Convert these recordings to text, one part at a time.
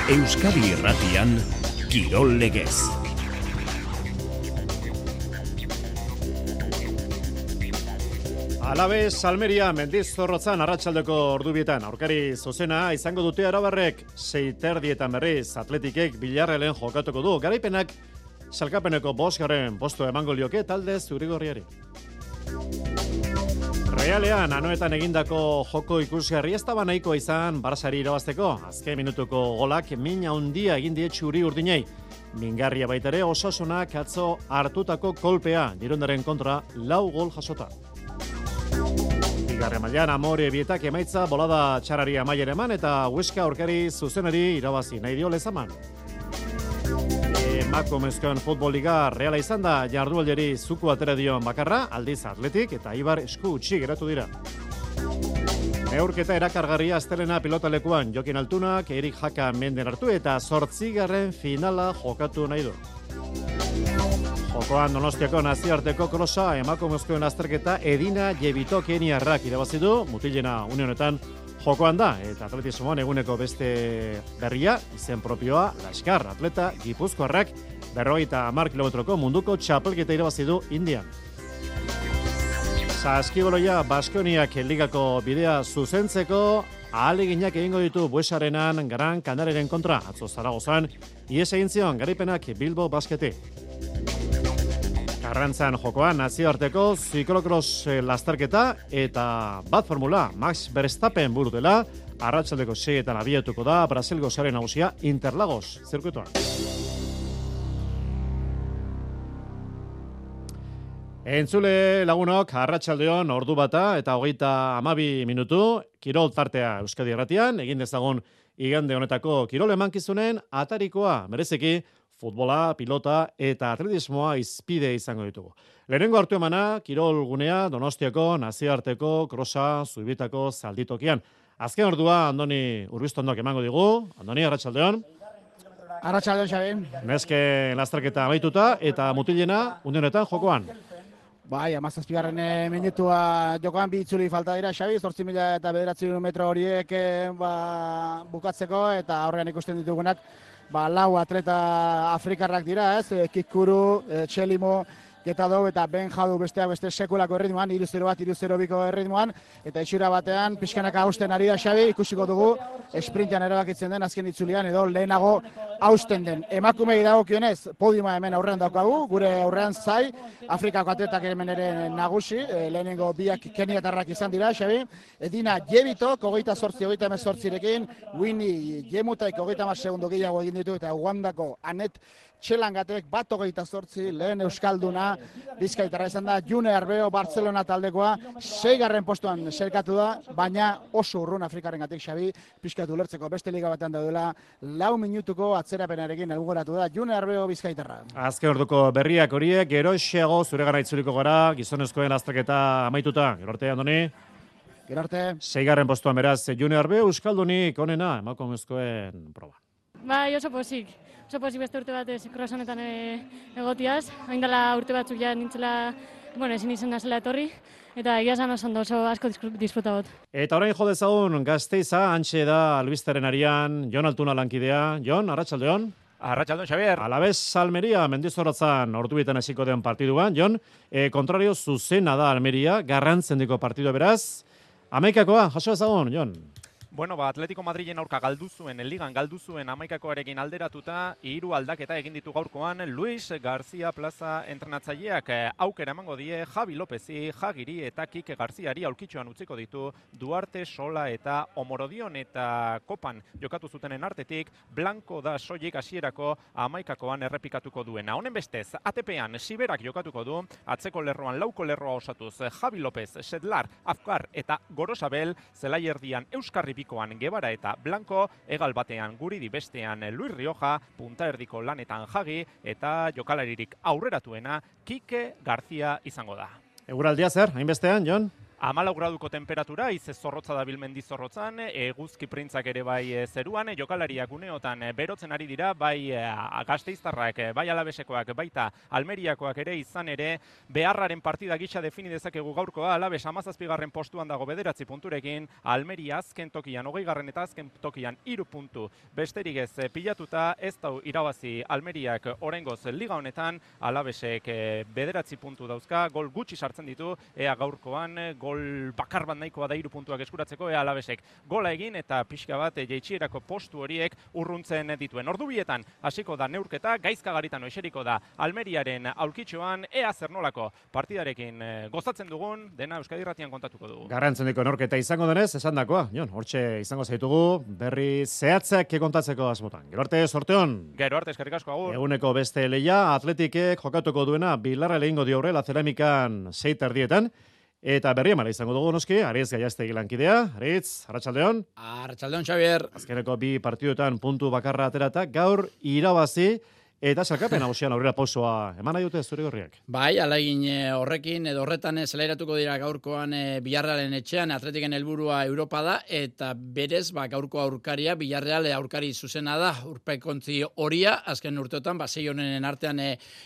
Euskadi Irratian, Kirol Legez. Alabez, Almeria, Mendizorrotzan arratsaldeko ordubietan. Aurkari zuzena izango dute Arabarrek, 6:30 berriz Atletikek Villarrealen jokatuko du. Garaipenak salkapeneko 5. postua emango lioke talde zurigorriari. Realean, anoetan egindako joko ikusgarri ez daba nahikoa izan Barçari irabazteko. Azken minutuko golak min handia egin die txuri urdinei. Mingarria baita ere Osasunak atzo hartutako kolpea, Girondaren kontra 4 gol jasota. Bigarren mailan Amore Bietak emaitza bolada txarari amaiera eman eta Huesca aurkari zuzenari irabazi nahi dio Lezaman. Emakumezkoen futbol liga Reala izan da jardualdiari zuku atera dion bakarra, aldiz Atletik eta Ibar esku utzi geratu dira. Neurketa erakargarria astelena pilotalekuan Jokin Altunak, Erik Jaka menden hartu eta 8. finala jokatu nahi du. Jokoan Donostiako nazioarteko krosa emakumezkoen azterketa Edina Jebitokeniarrak irabazi du, mutilena une honetan jokoan da, eta atletismoan eguneko beste berria, izen propioa, Laskar, atleta Gipuzkoarrak 50 kilometroko munduko txapelketa irabazi du Indian. Saskiboloia Baskoniak ligako bidea zuzentzeko ahaleginak egingo ditu Buesarenan Gran Canariaren kontra, atzo Zaragozan, ihes egin zion garaipenak Bilbo Basketi. Karrantzan jokoan nazioarteko ziklokros lasterketa eta bat formula Max Verstappen buru dela, arratsaldeko 6etan abiatuko da Brasilgo sare nagusia Interlagos zirkuitoan. Entzule lagunok, arratsaldeon ordu bata eta 32 minutu, kirol tartea Euskadi Irratian, egin dezagun igande honetako kirol emankizunen atarikoa, bereziki futbola, pilota eta atletismoa izpide izango ditugu. Lehenengo hartu emana, kirol gunea, Donostiako, nazioarteko, krosa, Zubitako, Zalditokian. Azken ordua, Andoni Urbiztondok emango digu. Andoni, arratsaldeon. Arratsaldeon, Xabi. Neske lasterketa amaituta eta mutilena unionetan jokoan. Bai, 17. minutua jokoan bi itzuli falta dira, Xabi, 8.900 metro horiek bukatzeko eta aurrean ikusten ditugunak 4 atleta afrikarrak dira, ez? Kikuru, Txelimo, Getadou eta Ben Jadu besteak beste sekulako erritmoan, 3-0 bat, 3-0 erritmoan, eta itxura batean pixkanaka hausten ari da Xabi, ikusiko dugu, esprintean erabakitzen den azken itzulian, edo lehenago hausten den. Emakumei dagokionez, podiuma hemen aurrean daukagu, gure aurrean zai, Afrikako atletak hemen ere nagusi, lehenengo biak keniatarrak izan dira, Xabi, Edina Jebitok, 28-28rekin, Winnie Jemutak 30 segundo gehiago egin ditu, eta Ugandako Anet Txelangatek 28 lehen euskalduna Bizkaitarra izan da. June Arbeo Barcelona taldekoa 6. postuan selkatu da, baina oso urrun Afrikarengatik, Xabi, pixkatu ulertzeko beste liga batean daudela 4 minutuko atzerapenarekin helburatu da June Arbeo Bizkaitarra. Azken orduko berriak horiek geroxeago zuregana itzuliko gara, gizonezkoen azterketa amaituta. Gero arte, Andoni? Gero arte. 6. postuan beraz June Arbeo euskaldunik onena emakumezkoen proba. Bai, oso pozik beste urte batez krosonetan egotiaz. Hain dela urte batzuk ja nintzela, ezin izan da zela etorri, eta egia esan oso asko disfruta got. Eta orain jo dezagun Gasteiza, hantxe da albisteren arian, Jon Altuna lankidea. Jon, arratsaldeon. Arratsaldeon, Xabier. Alabez Almeria, Mendizorrotzan ordubietan hasiko den partiduan. Jon, kontrario zuzena da Almeria, garrantzendiko partidua beraz. Hamaikakoa, jaso ezagun, Jon. Bueno, Atletico Madrilen aurka galdu zuen, ligan galdu zuen 11koarekin alderatuta, 3 aldaketa egin ditu gaurkoan Luis García Plaza entrenatzaileak aukera emango die Javi Lopezi, Jagiri eta Kike Garziari aulkitxoan utziko ditu Duarte, Sola eta Omorodion eta Kopan jokatu zutenen artetik Blanco da soilik hasierako 11koan errepikatuko duena. Honen bestez, ATP-an Siberak jokatuko du, atzeko lerroan lauko lerroa osatuz Javi Lopez, Sedlar, Afkar eta Gorosabel, zelaierdian Euskarri bikoan Gebara eta Blanco, egal batean Guridi bestean Luis Rioja, punta erdiko lanetan Jagi eta jokalaririk aurreratuena Kike Garzia izango da. Eguraldia zer, hainbestean, Jon? 14 graduko temperatura, ize zorrotza da bilmendi zorrotzan, eguzki printzak ere bai zeruan, jokalariak uneotan berotzen ari dira, bai gasteiztarrak, bai alabesekoak, baita almeriakoak ere izan ere, beharraren partida gisa defini dezakegu gaurkoa, alabes 17. postuan dago 9 punturekin, almeria azken tokian 20. eta azken tokian 3 puntu besterik ez pilatuta, ez dau irabazi almeriak oraingoz liga honetan, alabesek 9 puntu dauzka, gol gutxi sartzen ditu, ea gaurkoan gol bakar bat nahikoa da 3 puntuak eskuratzeko, ea alabesek gola egin eta pixka bat jaitsierako postu horiek urruntzen dituen. Ordu bietan hasiko da neurketa, Gaizka Garitano eseriko da Almeriaren aulkitxoan, ea zer nolako partidarekin gozatzen dugun, dena Euskadi Irratian kontatuko dugu. Garrantzendiko neurketa izango denez, esandakoa, Jon, hortxe izango zaitugu, berri zehatzak kontatzeko asmotan. Gero arte, sorteon. Gero arte, eskerrik asko, agur. Eguneko beste leia, Atletikek jokatuko duena Bilarra lehingo dio horrela Ceramikan 6:30. Eta berri emala izango dugu noski, Aritz Gaiastegi lankidea. Aritz, arratsaldeon. Arratsaldeon, Xavier. Azkeneko 2 partiduetan puntu bakarra aterata, gaur irabazi eta salkapen nagusian aurrera pausoa eman nahi dute zuri-gorriak. Bai, alaigin horrekin edo horretan zelairatuko dira gaurkoan Villarrealen etxean, Atletiken helburua Europa da, eta berez gaurko aurkaria, Villarreal aurkari zuzena da, urpekontzi horia, azken urteotan, 6 honen artean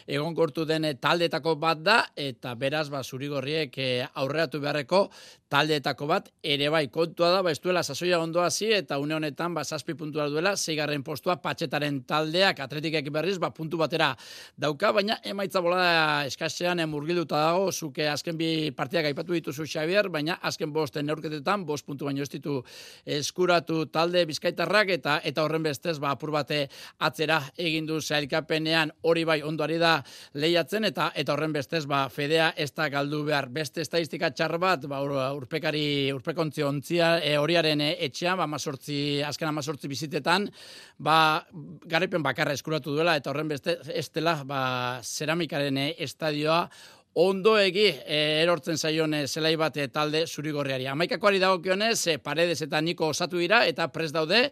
egonkortu den taldeetako bat da, eta beraz zuri-gorriek aurreratu beharreko taldeetako bat, ere bai, kontua da, ez duela sasoia ondo hasi, eta une honetan 7 puntua duela, 6. postua Patxetaren taldeak, Atletikek berriz, puntu batera dauka, baina emaitza bolada eskasean murgilduta dago, zuke azken 2 partidak aipatu dituzu Xavier, baina azken 5 neurketetan 5 puntu baino ez ditu eskuratu talde bizkaitarrak, eta horren bestez apur bate atzera egin du sailkapenean, hori bai ondoari da lehiatzen, eta horren bestez fedea ez da galdu behar. Beste estadistika txar bat, urpekontzi ontzia horiaren etxean, azken 18 bizitetan, garaipen bakarra eskuratu duela, eta horren beste ez dela zeramikaren estadioa ondoegi erortzen zaion zelai bat talde zuri-gorriari. 11koari dagokionez, Paredes eta Niko osatu dira eta prest daude.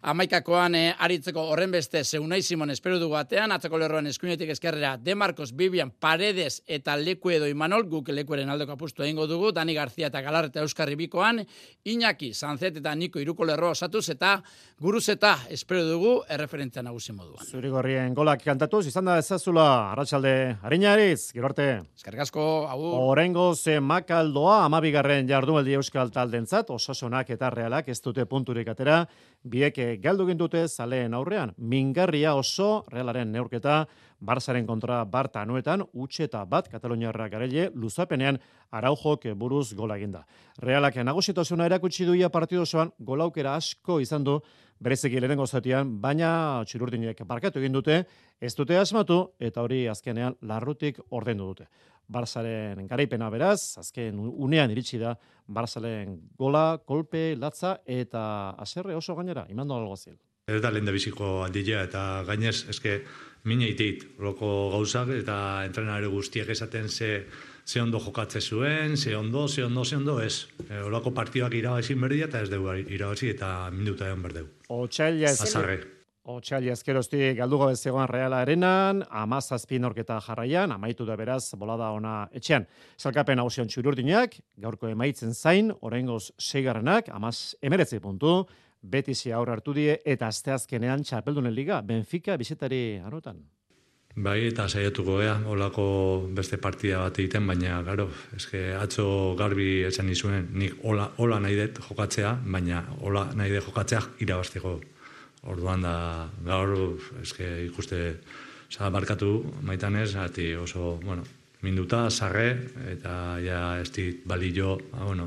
11koan aritzeko horren beste Unai Simon espero dugu atean, atzeko lerroan eskuinetik ezkerrera De Marcos, Vivian, Paredes eta Lekuedo Imanol, guk Lekueren aldeko apustu egingo dugu, Dani García eta Galarreta Euskarri bikoan, Iñaki, Sanzet eta Niko iruko lerroa osatuz, eta Guruzeta espero dugu erreferentzia nagusi moduan. Zuri-gorrien golak kantatuz, izan da ezazula, arratsalde Arinariz, gero arte. Eskerrik asko, agur. Oraingoz Makaldoa 12. jardunaldi euskal taldentzat, Osasunak eta Realak ez dute punturik atera, biek galdu gindute zaleen aurrean. Mingarria oso Realaren neurketa Barsaren kontra Barta anuetan, utxeta bat Kataloniarra garaile luzapenean Araujok buruz gola eginda. Realak nagusitasuna erakutsi duia partidu osoan, golaukera asko izan du bereziki lehenengo zatian, baina txirurdinek barkatu egin dute, ez dute asmatu eta hori azkenean larrutik ordendu dute. Barsaren garaipena beraz, azken unean iritsi da Barsaren gola, kolpe, latza eta aserre oso gainera, imando alguazil. Ez da lehen da biziko aldila eta gainez, eske mine iteit, loko gauzak eta entrenare guztiak esaten ze ondo jokatze zuen, ze ondo, ez. Olako partidak irabazin berdia eta ez dugu irabazi eta minuta egon berdeu. Otsaila ezkeroztik galdugo bezegoan Reala arenan, 17 neurketa jarraian, amaitu da beraz bolada ona etxean. Salkapen nagusian txururdinak, gaurko emaitzen zain, oraingoz 6. 19 puntu, Betisi aurre hartu die eta asteazkenean txapeldunen liga, Benfica bizetari anotan. Bai, eta saiatuko gea, olako beste partida bat egiten, baina, garo, eske atzo garbi esan nizuen, nik hola nahi dut jokatzea, baina hola nahi dut jokatzea irabazteko. Orduan da, gaur, eske ikuste, barkatu maitanez, ati oso, minuta, sarre, eta ja ez dit balio,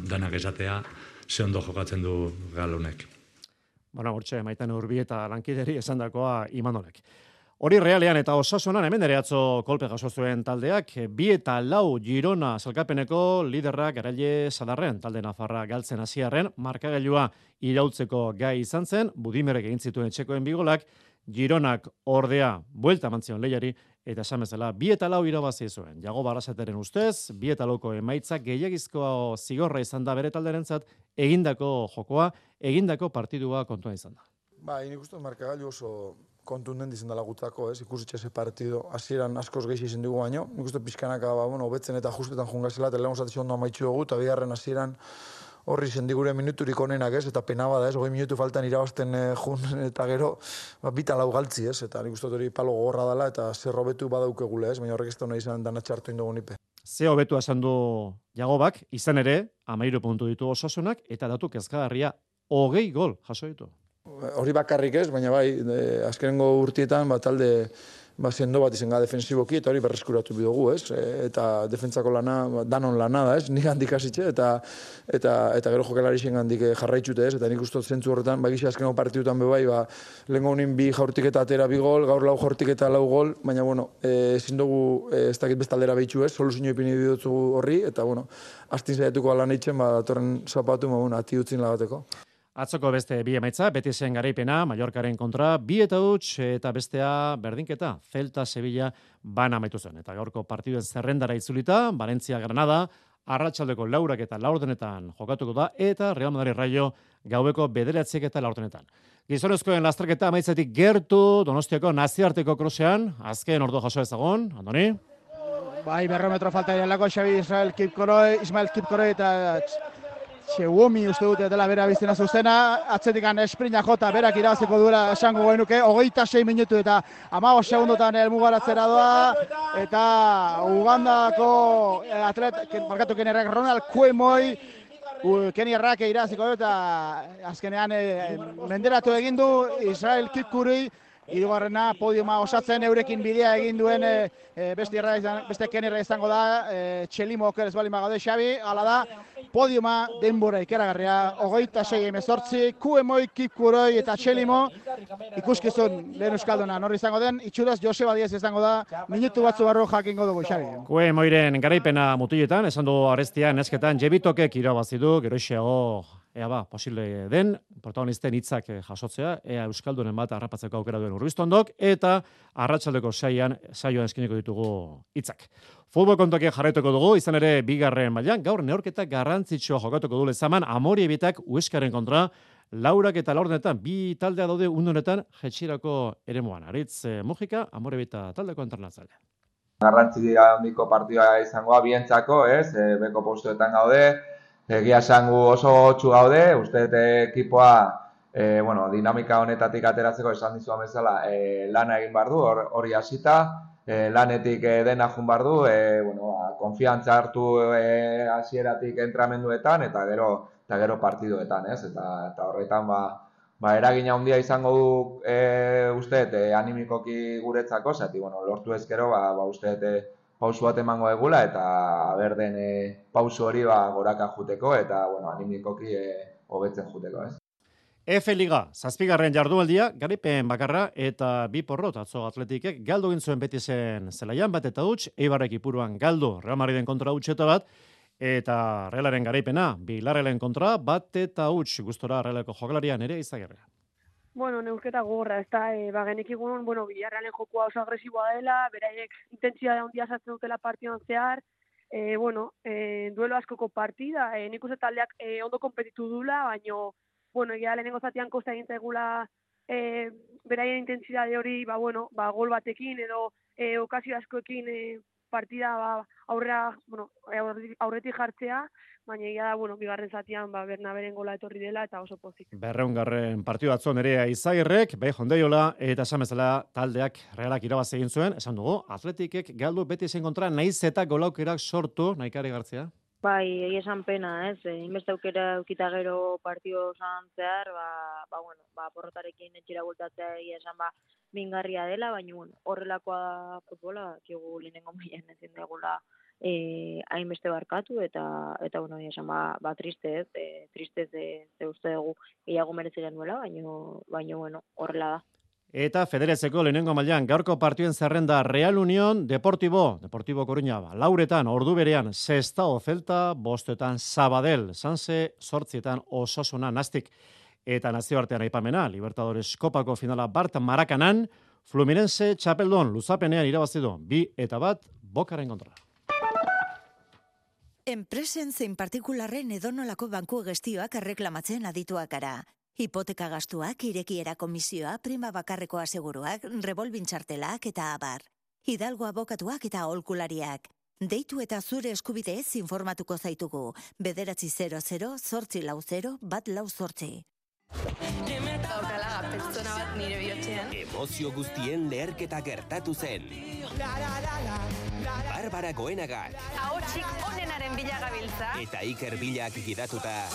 danak esatea, ze ondo jokatzen du galonek. Hortxe, maitan urbi eta lankideri esandakoa Imanolek. Hori Realean eta Osasunan hemen ere atzo kolpe jaso zuen taldeak, 2 eta 4 Girona salkapeneko liderrak garaile Sadarren, talde nafarra galtzen hasiarren, markagailua irautzeko gai izan zen, Budimerrek egin zituen etxekoen bigolak, Gironak ordea buelta mantzion lehiari, eta esan bezala 2 eta 4 irabazi zuen. Jago Barrasateren ustez, 2 eta 4ko emaitza gehiagizko zigorra izan da bere talderentzat, egindako jokoa, egindako partidua kontua izan da. Nik uste markagailu kontundent izan dela gutako, ikusitxe ze partido hasieran askoz gehi izan dugu baino. Nik uste pizkanaka, hobetzen eta justetan jungazela, eta lehen osatizio ondo amaitxu dugu, eta bigarren hasieran horri sendigure minuturik onenak, eta pena bada, 20 minutu faltan irabazten jun, eta gero, bita lau galtzi, eta nik uste hori palo gogorra dela, eta zer hobetu badaukegule, baina horrek ez da hona izan danatxa hartu indogu nipe. Ze hobetu esan du Jagobak, izan ere, 13 puntu ditu Osasunak, eta datu kezkagarria 20 gol jaso ditu. Hori bakarrik ez, baina bai, azkenengo urtietan, talde sendo bat izan defensiboki, eta hori berreskuratu bidugu, eta defentsako lana, danon lana da, nik handik hasitxe, eta gero jokalari zen handik jarraitxute, eta nik uste zentzu horretan, gisa azkenengo partidutan bebai, lehenko honin 2 jaurtik eta atera 2 gol, gaur 4 jaurtik eta 4 gol, baina, ezin dugu, ez dakit bestaldera behitxu soluzio ipini didotzu horri, eta, astin zaiatuko alan eitzen, datorren zapatu, ati utzin lagateko. Atzoko beste bi emaitza, Betisen garaipena, Mallorcaren kontra, 2-huts eta bestea berdinketa, Celta Sevilla bana amaitu zen. Eta gaurko partiduen zerrendara itzulita, Valencia Granada, arratsaldeko 4 eta 4 jokatuko da, eta Real Madrid Rayo gaueko 9 eta 4. Gizonezkoen lasterketa amaitzetik gertu, Donostiako nazioarteko krosean, azken ordu jaso ezagon, Andoni? Bai, 100 metro falta direlako, Xabi Ismael Kipkoroi eta Txeuomi uste dute dela bera biztena zuzena, atzetikan esprina jota berak irabaziko duela esango genuke, 26 minutu eta 15 segundotan elmugaratzera doa, eta Ugandako markatu kenierrak Ronald Kuemoi, kenierrak irabaziko du eta azkenean menderatu egin du Israel Kipkurui, hirugarrena podiuma osatzen eurekin bidea egin duen beste kenierra izango da, Txelimo oker ez balima gaude Xabi, hala da, podiuma denbora ikeragarria, 26-18, Kuemoi, Kipkuroi eta Txelimo, ikuskizun lehen euskalduna norri izango den, itxuraz Joseba Diaz izango da, minutu batzu barru jakingo dugu Xabi. Kuemoiren garaipena mutiletan, esan du arestian, esketan, Jebitokek irabazidu, geroixeago, posible den, protagonisten hitzak jasotzea, euskaldunen bat harrapatzeko aukera duen Urbiztondok, eta arratsaldeko saioan eskiniko ditugu hitzak. Futbol kontokia jarraituko dugu, izan ere bigarren mailan, gaur neorketa garrantzitsua jokatuko du Lezaman, Amorebitak Hueskaren kontra, 4 eta 4 bi taldea daude undonetan jetxirako eremuan. Aritz Mujika, Amorebita taldeko entrenatzailea. Garrantzi handiko partida izangoa bientzako, beko postuetan gaude, egia esango oso gotxu gaude, uste ekipoa dinamika honetatik ateratzeko esan dizuan bezala lana egin behar du, hori hasita, lanetik dena jun behar du, konfiantza hartu hasieratik entramenduetan eta gero partiduetan, eta horretan eragina handia izango du uste animikoki guretzako, zati lortu ezkero uste pausu bat emango egula eta berden pausu hori goraka juteko eta animikoki hobetzen juteko, F-Liga, 7. jardualdia, garaipen bakarra eta 2 porrot atzo Atletikek galdu egin zuen Betisen zelaian bat eta huts, Eibarrek Ipuruan galdu Real Madriden kontra hutseta bat, eta Realaren garaipena, Bilarrelen kontra bat eta huts, gustora Realeko jokalarian ere Izagirrea. Neurketa gogorra, ez da, genekigun, Bilarrealen jokua oso agresiboa dela, beraiek intentsitate handia sartzen dutela partidan zehar, duelo askoko partida, nik uste taldeak ondo konpetitu dula, baina egia lehenengo zatian kosta egin zaigula beraien intentsitate hori, gol batekin edo okazio askoekin partida aurretik jartzea, baina egia da, bigarren zatian Bernaberen gola etorri dela eta oso pozik. 200. partidu atzo Nerea Izagirrek, Hondeiola eta esan bezala taldeak Realak irabaz egin zuen, esan dugu, Atletikek galdu Betisen kontra naiz eta golaukerak sortu, Naikari Gartzia. Bai, esan pena, inbeste aukera eukita gero partido zan zehar, porrotarekin etxera bultatzea esan mingarria dela, baina horrelakoa futbola, kigu lehenengo mailan ezin degula hainbeste barkatu, eta esan triste ze uste dugu gehiago merezi genuela, baina horrela da. Eta Federezeko lehenengo mailan gaurko partiduen zerrenda Real Unión, Deportivo Coruña, 4 ordu berean Sestao Celta, 5 Sabadell, Sanse, 8 Osasuna Nastic, eta nazioartean aipamena, Libertadores Kopako finala Bart Marakanan, Fluminense Txapeldon luzapenean irabazidu, 2-1 Bokaren kontra. Enpresen zein partikularren edonolako banku gestioak erreklamatzen adituak gara. Hipoteka gastuak, irekiera komisioa, prima bakarreko aseguruak, revolving txartelak eta abar. Hidalgo abokatuak eta aholkulariak. Deitu eta zure eskubideez informatuko zaitugu. 900-840-148. Daukala pertsona bat nire bihotzean. Emozio guztien leherketa gertatu zen. Barbara Goenagak. Ahotsik onenaren bila gabiltza. Eta Iker Bilak gidatuta.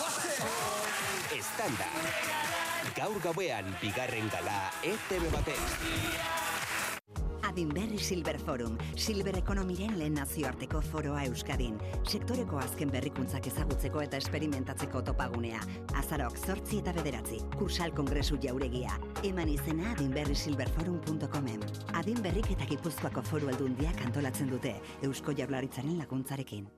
Estanda. Gaur gauean bigarren gala ETV baten. Adinberri Silver Forum, Silver Ekonomiren lehen nazioarteko foroa Euskadin. Sektoreko azken berrikuntzak ezagutzeko eta esperimentatzeko topagunea. Azarok 8 eta 9, Kursal Kongresu jauregia. Eman izena adinberrisilverforum.comen. Adinberrik eta Gipuzkoako Foru Aldundiak antolatzen dute, Eusko Jaurlaritzaren laguntzarekin.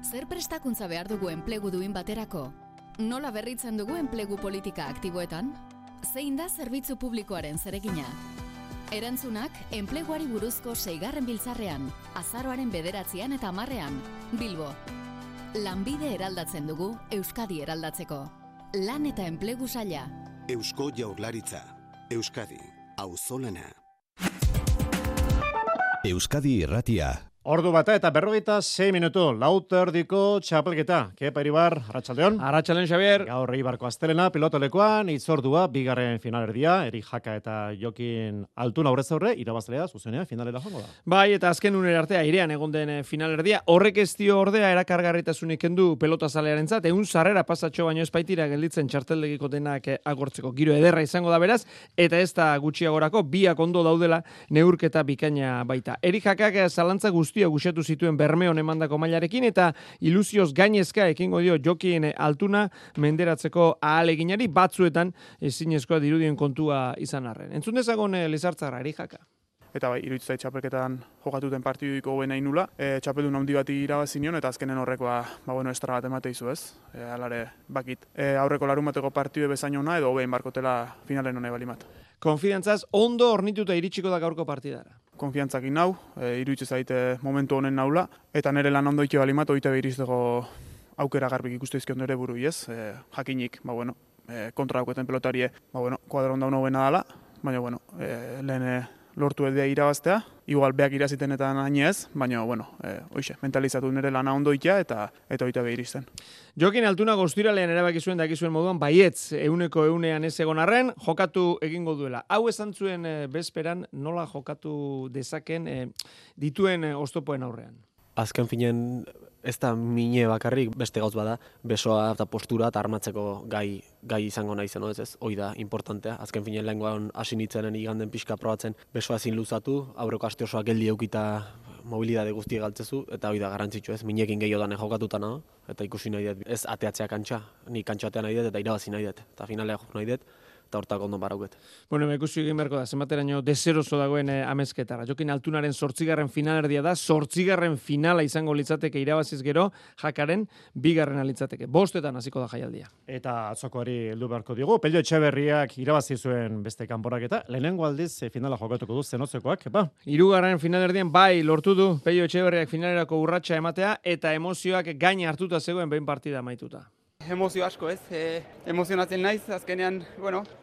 Zer prestakuntza behar dugu enplegu duin baterako? Nola berritzen dugu enplegu politika aktiboetan? Zein da zerbitzu publikoaren zeregina? Erantzunak, enpleguari buruzko 6. biltzarrean, azaroaren 9 eta 10, Bilbo. Lanbide eraldatzen dugu, Euskadi eraldatzeko. Lan eta enplegu saila. Eusko Jaurlaritza. Euskadi. Auzolana. Euskadi Irratia. Ordu bata eta 46 minutu, lauterdiko txapelketa. Kepa Iribar, Arratsaldeon. Arratsaldeon, Xavier. Gaur Eibarko astelena, pilotolekuan, itzordua, bigarren finalerdia, Eri Jaka eta Jokin Altuna aurrez aurre, irabazlea, zuzenean, finalera joango da. Bai, eta azken unera artea, airean egon den finalerdia, horrek ez dio ordea erakargarritasunik kendu pelotazalearentzat, 100 sarrera pasatxo baino espaitira gelditzen txarteldegiko denak agortzeko. Giro ederra izango da beraz, eta ez da gutxiagorako, biak ondo daudela neurketa bikaina baita. Eri Jakak zalantza guztia gusatu zituen Bermeon emandako mailarekin eta ilusioz gainezka ekingo dio Jokin Altuna menderatzeko ahaleginari batzuetan ezinezkoa dirudien kontua izan arren. Entzun dezagon Lizartzarra, Eri Jaka. Eta bai, iruditzen zait txapelketan jokatuten partidiko hoben nahi nula. Txapeldun handi bati irabazi nion eta azkenen horrekoa, estra bat emate izu ez. Alare, bakit. Aurreko larumateko partidu bezain ona edo hobein barkotela finalen hone balimat. Konfidantzaz, ondo ornituta iritsiko da gaurko partidara. Konfiantzakin nau, iruditzen zaite momentu honen naula, eta nire lan ondo ike balimat, oite behirizteko aukera garbik ikusteizkion dure buru ez. Jakinik, kontra dauketen pelotarie, kuadro onda hona dala, baina, lehen lortu edea irabaztea, igual beak irazitenetan haini ez, baina, hoxe, mentalizatu nire lana ondo ikia eta oita behirizten. Jokin Altuna goztiralean erabaki zuen dakizuen moduan, baietz, 100% ez egon arren, jokatu egingo duela. Hau esan zuen bezperan nola jokatu dezaken dituen oztopoen aurrean. Azken finen ez da mine bakarrik beste gauz bada, besoa eta postura eta armatzeko gai izango nahi zen, ez? Hoi da importantea. Azken finen lehengoan hasi nintzenen iganden pixka probatzen besoa ezin luzatu, aurreko aste osoa geldi eukita mobilidade guztie galtzezu, eta hoi da garrantzitsu, ez? Minekin gehiotan jokatuta nago, eta ikusi nahi dut, ez ateatzea kantxa, ni kantxatea nahi dut eta irabazi nahi dut, eta finalea jok nahi dut, eta hortako ondo barauket. Ikusi egin beharko da, zenbateraino deseroso dagoen amezketara. Jokin Altunaren 8. finalerdia da, 8. finala izango litzateke irabaziz gero, Jakaren 2. litzateke. 5 hasiko da jaialdia. Eta atzokoari heldu beharko digu, Pello Etxeberriak irabazi zuen beste kanporaketa, lehenengo aldiz finala jokatuko du Zenotzekoak, epa? 3. finalerdian bai lortu du Pello Etxeberriak finalerako urratsa ematea, eta emozioak gain hartuta zegoen behin partida amaituta. Emozio asko ez, emozionatzen naiz, azkenean,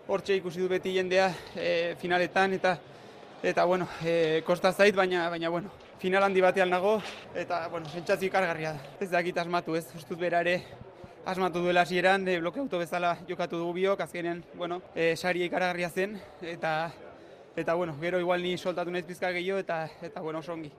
hortxe ikusi du beti jendea finaletan, eta kosta zait, baina, final handi batean nago, eta, sentsazio ikargarria da. Ez dakit asmatu ez, ustut bera ere, asmatu duela hasieran, blokeauto bezala jokatu dugu biok, azkenean, saria ikaragarria zen, eta, gero igual ni soltatu naiz pizka gehiago, eta oso ongi.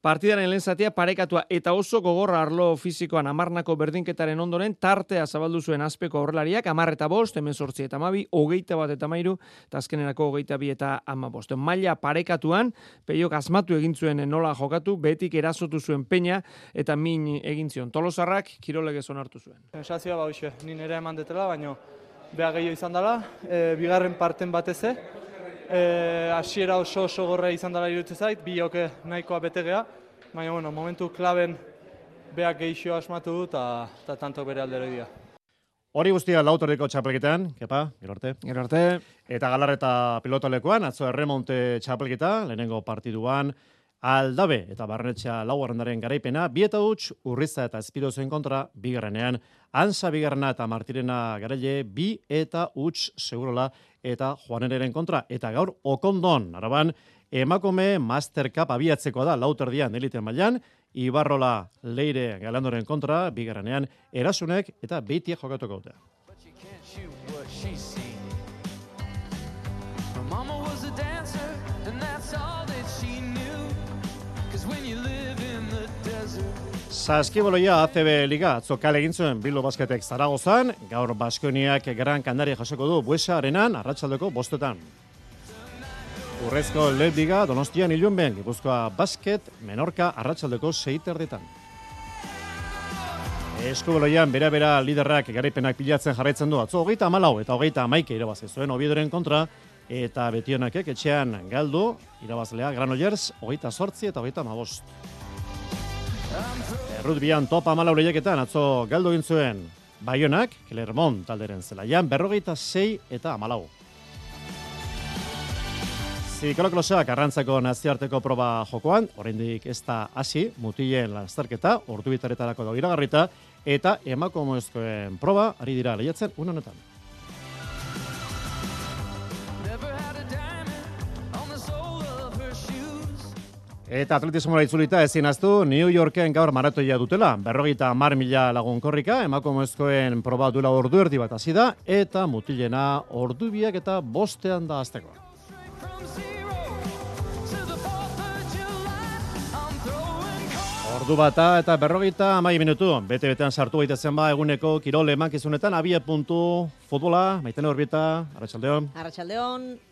Partidaren lehen zatia parekatua eta oso gogorra arlo fizikoan 10 berdinketaren ondoren tartea zabaldu zuen Azpeko aurrelariak 10-5, 18 eta 12, 21 eta 13, eta azkenerako 22 eta 15. Maila parekatuan, Peiok asmatu egin zuen nola jokatu, betik erasotu zuen Peña eta min egin zion. Tolosarrak kirolegez onartu zuen. Sensazioa hoxe, ni nire eman detela, baina beha gehiago izan dela, bigarren parten bateze. Hasiera oso gorra izan dela iruditzen zait, biok nahikoa betegea, baina momentu klaben beak gehixo asmatu du eta tanto bere aldero dira. Hori guztia lautoriko txapelketan, kepa, gero arte. Eta Galarreta pilotalekoan, atzo erremonte txapelketa, lehenengo partiduan, Aldabe eta Barrenetxea laugarrendaren garaipena, 2-0 Urriza eta Espirozen kontra bigarrenean, Ansa bigarrena eta Martirena garaile 2-0 Segurola eta Juanereren kontra, eta gaur Okondon, Araban, emakume Master Cup abiatzeko da lauterdian elite mailan, Ibarrola Leire Galandoren kontra bigarrenean, Erasunek eta Beitiek jokatuko dute. Saskiboloia ACB Liga atzo kale egin zuen Bilbo Basketek Zaragozan, gaur Baskoniak Gran Canaria jasoko du Buesa Arenan arratsaldeko 5:00. Urrezko Liga Donostian Ilunben, Gipuzkoa Basket Menorka arratsaldeko 6:30. Eskuboloian bera liderrak garaipenak pilatzen jarraitzen du atzo 34 eta 31 irabazi zuen Oviedoren kontra, eta Betionakek etxean galdu irabazlea Granollers 28 eta 35. Rugbyan top 14 lehiaketan atzo galdu egin zuen Baionak, Clermont talderen zelaian 26 eta 14. Ziklokrosak arrantzako nazioarteko proba jokoan, oraindik ez da hasi, mutilen lasterketa, ordubitaretarako da iragarrita, eta emakumezkoen proba ari dira lehiatzen une honetan. Eta atletismoa itzulita ezin aztu New Yorken gaur maratoia dutela. 50.000 lagun korrika, emakumezkoen proba duela ordu erdi bat hasi da, eta mutilena ordu 2 eta 5 da hasteko. Ordu bata eta 50 minutu. Bete-betean sartu gaitezen eguneko kirol emankizunetan, abia puntu futbola, Maitene Orbieta, Arratsaldeon. Arratsaldeon.